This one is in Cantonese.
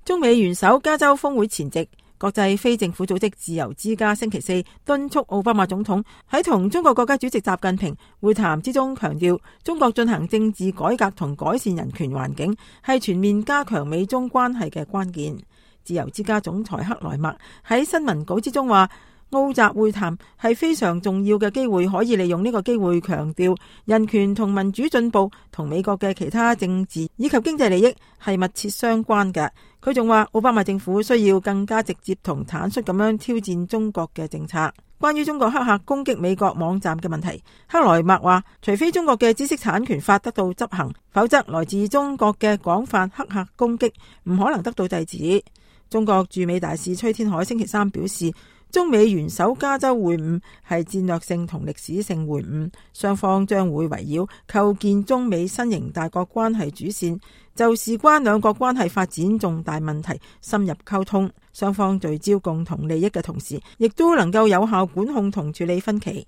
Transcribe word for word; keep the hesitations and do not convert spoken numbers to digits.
中美元首加州峰會前夕，國際非政府組織自由之家星期四敦促奧巴馬總統喺同中國國家主席習近平會談之中強調，中國進行政治改革同改善人權環境係全面加強美中關係嘅關鍵。自由之家總裁克萊默喺新聞稿之中話，奧習會談係非常重要嘅機會，可以利用呢個機會強調人權同民主進步同美國嘅其他政治以及經濟利益係密切相關嘅。佢仲話，奧巴馬政府需要更加直接同坦率咁樣挑戰中國嘅政策。關於中國黑客攻擊美國網站嘅問題，克萊默話，除非中國嘅知識產權法得到執行，否則來自中國嘅廣泛黑客攻擊唔可能得到制止。中國駐美大使崔天凱星期三表示，中美元首加州會晤係戰略性同歷史性會晤，雙方將會圍繞構建中美新型大國關係主線，就事關兩國關係發展重大問題深入溝通。雙方聚焦共同利益嘅同時，亦都能夠有效管控同處理分歧。